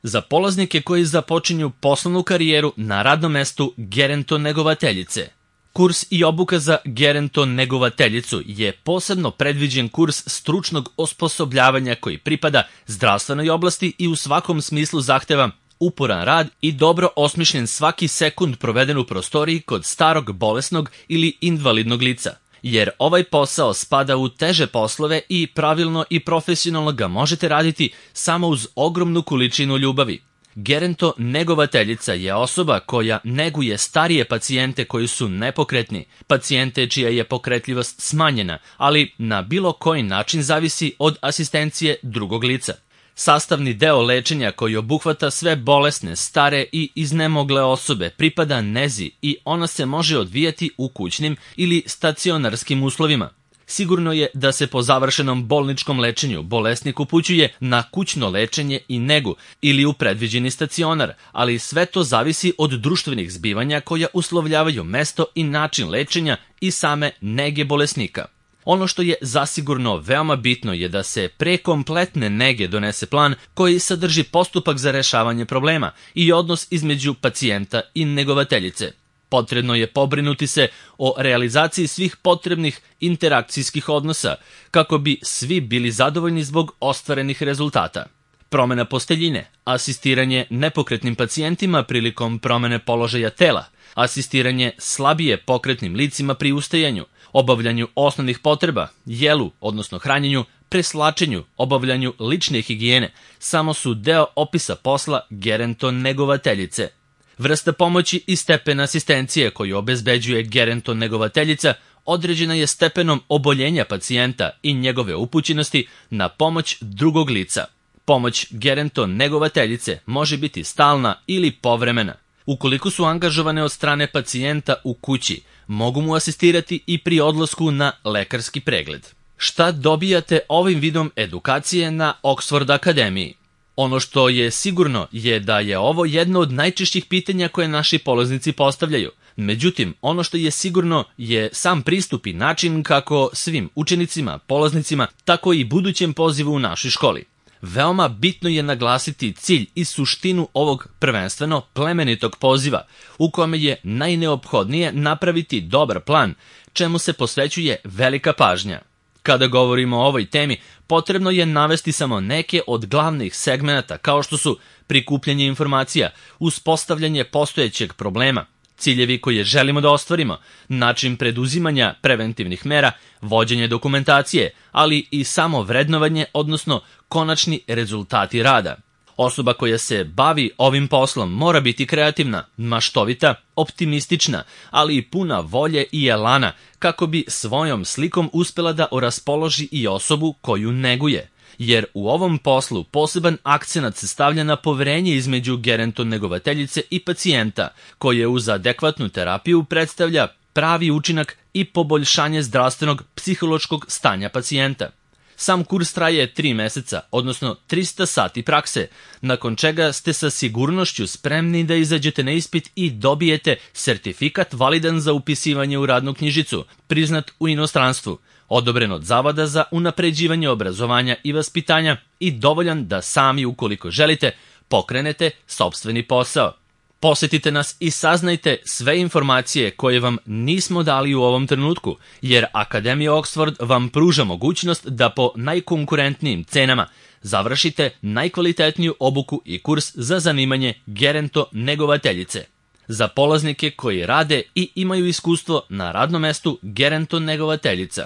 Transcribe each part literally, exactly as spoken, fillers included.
Za polaznike koji započinju poslovnu karijeru na radnom mestu gerontonegovateljice. Kurs i obuka za gerontonegovateljicu je posebno predviđen kurs stručnog osposobljavanja koji pripada zdravstvenoj oblasti i u svakom smislu zahteva uporan rad i dobro osmišljen svaki sekund proveden u prostoriji kod starog, bolesnog ili invalidnog lica, jer ovaj posao spada u teže poslove i pravilno i profesionalno ga možete raditi samo uz ogromnu količinu ljubavi. Gerontonegovateljica je osoba koja neguje starije pacijente koji su nepokretni, pacijente čija je pokretljivost smanjena, ali na bilo koji način zavisi od asistencije drugog lica. Sastavni deo lečenja koji obuhvata sve bolesne, stare i iznemogle osobe pripada nezi i ona se može odvijati u kućnim ili stacionarskim uslovima. Sigurno je da se po završenom bolničkom lečenju bolesnik upućuje na kućno lečenje i negu ili u predviđeni stacionar, ali sve to zavisi od društvenih zbivanja koja uslovljavaju mesto i način lečenja i same nege bolesnika. Ono što je zasigurno veoma bitno je da se pre kompletne nege donese plan koji sadrži postupak za rešavanje problema i odnos između pacijenta i negovateljice. Potrebno je pobrinuti se o realizaciji svih potrebnih interakcijskih odnosa kako bi svi bili zadovoljni zbog ostvarenih rezultata. Promena posteljine, asistiranje nepokretnim pacijentima prilikom promene položaja tela, asistiranje slabije pokretnim licima pri ustajanju, obavljanju osnovnih potreba, jelu, odnosno hranjenju, preslačenju, obavljanju lične higijene, samo su deo opisa posla gerontonegovateljice. Vrsta pomoći i stepen asistencije koju obezbeđuje gerontonegovateljica određena je stepenom oboljenja pacijenta i njegove upućenosti na pomoć drugog lica. Pomoć gerontonegovateljice može biti stalna ili povremena. Ukoliko su angažovane od strane pacijenta u kući, mogu mu asistirati i pri odlasku na lekarski pregled. Šta dobijate ovim vidom edukacije na Oxford Akademiji? Ono što je sigurno je da je ovo jedno od najčešćih pitanja koje naši polaznici postavljaju. Međutim, ono što je sigurno je sam pristup i način kako svim učenicima, polaznicima, tako i budućem pozivu u našoj školi. Veoma bitno je naglasiti cilj i suštinu ovog prvenstveno plemenitog poziva, u kome je najneophodnije napraviti dobar plan, čemu se posvećuje velika pažnja. Kada govorimo o ovoj temi, potrebno je navesti samo neke od glavnih segmenata kao što su prikupljanje informacija, uspostavljanje postojećeg problema, ciljevi koje želimo da ostvarimo, način preduzimanja preventivnih mera, vođenje dokumentacije, ali i samo vrednovanje, odnosno konačni rezultati rada. Osoba koja se bavi ovim poslom mora biti kreativna, maštovita, optimistična, ali i puna volje i elana kako bi svojom slikom uspela da oraspoloži i osobu koju neguje. Jer u ovom poslu poseban akcenat se stavlja na poverenje između gerontonegovateljice i pacijenta, koje uz adekvatnu terapiju predstavlja pravi učinak i poboljšanje zdravstvenog psihološkog stanja pacijenta. Sam kurs traje tri meseca, odnosno trista sati prakse, nakon čega ste sa sigurnošću spremni da izađete na ispit i dobijete sertifikat validan za upisivanje u radnu knjižicu, priznat u inostranstvu, odobren od Zavoda za unapređivanje obrazovanja i vaspitanja i dovoljan da sami, ukoliko želite, pokrenete sopstveni posao. Posetite nas i saznajte sve informacije koje vam nismo dali u ovom trenutku, jer Akademija Oxford vam pruža mogućnost da po najkonkurentnijim cenama završite najkvalitetniju obuku i kurs za zanimanje gerontonegovateljice. Za polaznike koji rade i imaju iskustvo na radnom mestu gerontonegovateljica.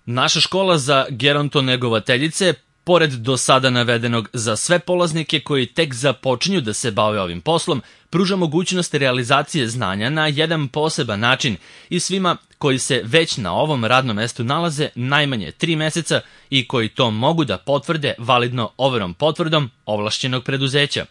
Naša škola za gerontonegovateljice, pored do sada navedenog za sve polaznike koji tek započinju da se bave ovim poslom, pruža mogućnost realizacije znanja na jedan poseban način i svima koji se već na ovom radnom mestu nalaze najmanje tri meseca i koji to mogu da potvrde validno overom potvrdom ovlašćenog preduzeća.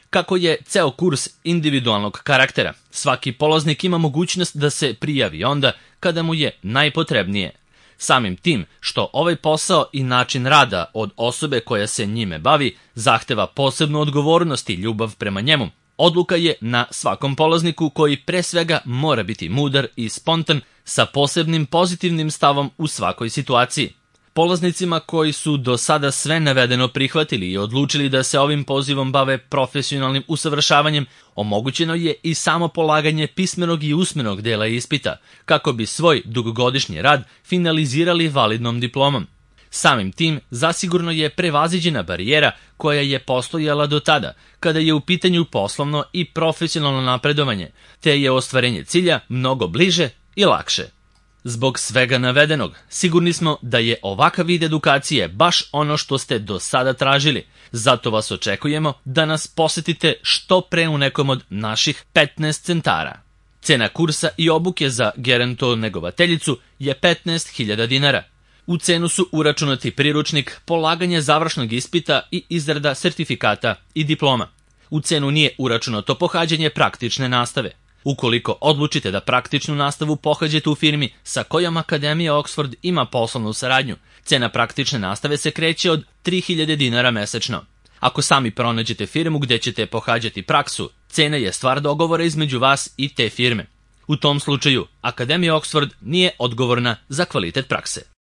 Kako je ceo kurs individualnog karaktera, svaki polaznik ima mogućnost da se prijavi onda kada mu je najpotrebnije. Samim tim što ovaj posao i način rada od osobe koja se njime bavi zahteva posebnu odgovornost i ljubav prema njemu, odluka je na svakom polazniku koji pre svega mora biti mudar i spontan sa posebnim pozitivnim stavom u svakoj situaciji. Polaznicima koji su do sada sve navedeno prihvatili i odlučili da se ovim pozivom bave profesionalnim usavršavanjem, omogućeno je i samo polaganje pismenog i usmenog dela ispita, kako bi svoj dugogodišnji rad finalizirali validnom diplomom. Samim tim, zasigurno je prevaziđena barijera koja je postojala do tada, kada je u pitanju poslovno i profesionalno napredovanje, te je ostvarenje cilja mnogo bliže i lakše. Zbog svega navedenog, sigurni smo da je ovakav vid edukacije baš ono što ste do sada tražili, zato vas očekujemo da nas posetite što pre u nekom od naših petnaest centara. Cena kursa i obuke za gerontonegovateljicu je petnaest hiljada dinara. U cenu su uračunati priručnik, polaganje završnog ispita i izrada sertifikata i diploma. U cenu nije uračunato pohađanje praktične nastave. Ukoliko odlučite da praktičnu nastavu pohađate u firmi sa kojom Akademija Oxford ima poslovnu saradnju, cena praktične nastave se kreće od tri hiljade dinara mesečno. Ako sami pronađete firmu gde ćete pohađati praksu, cena je stvar dogovora između vas i te firme. U tom slučaju, Akademija Oxford nije odgovorna za kvalitet prakse.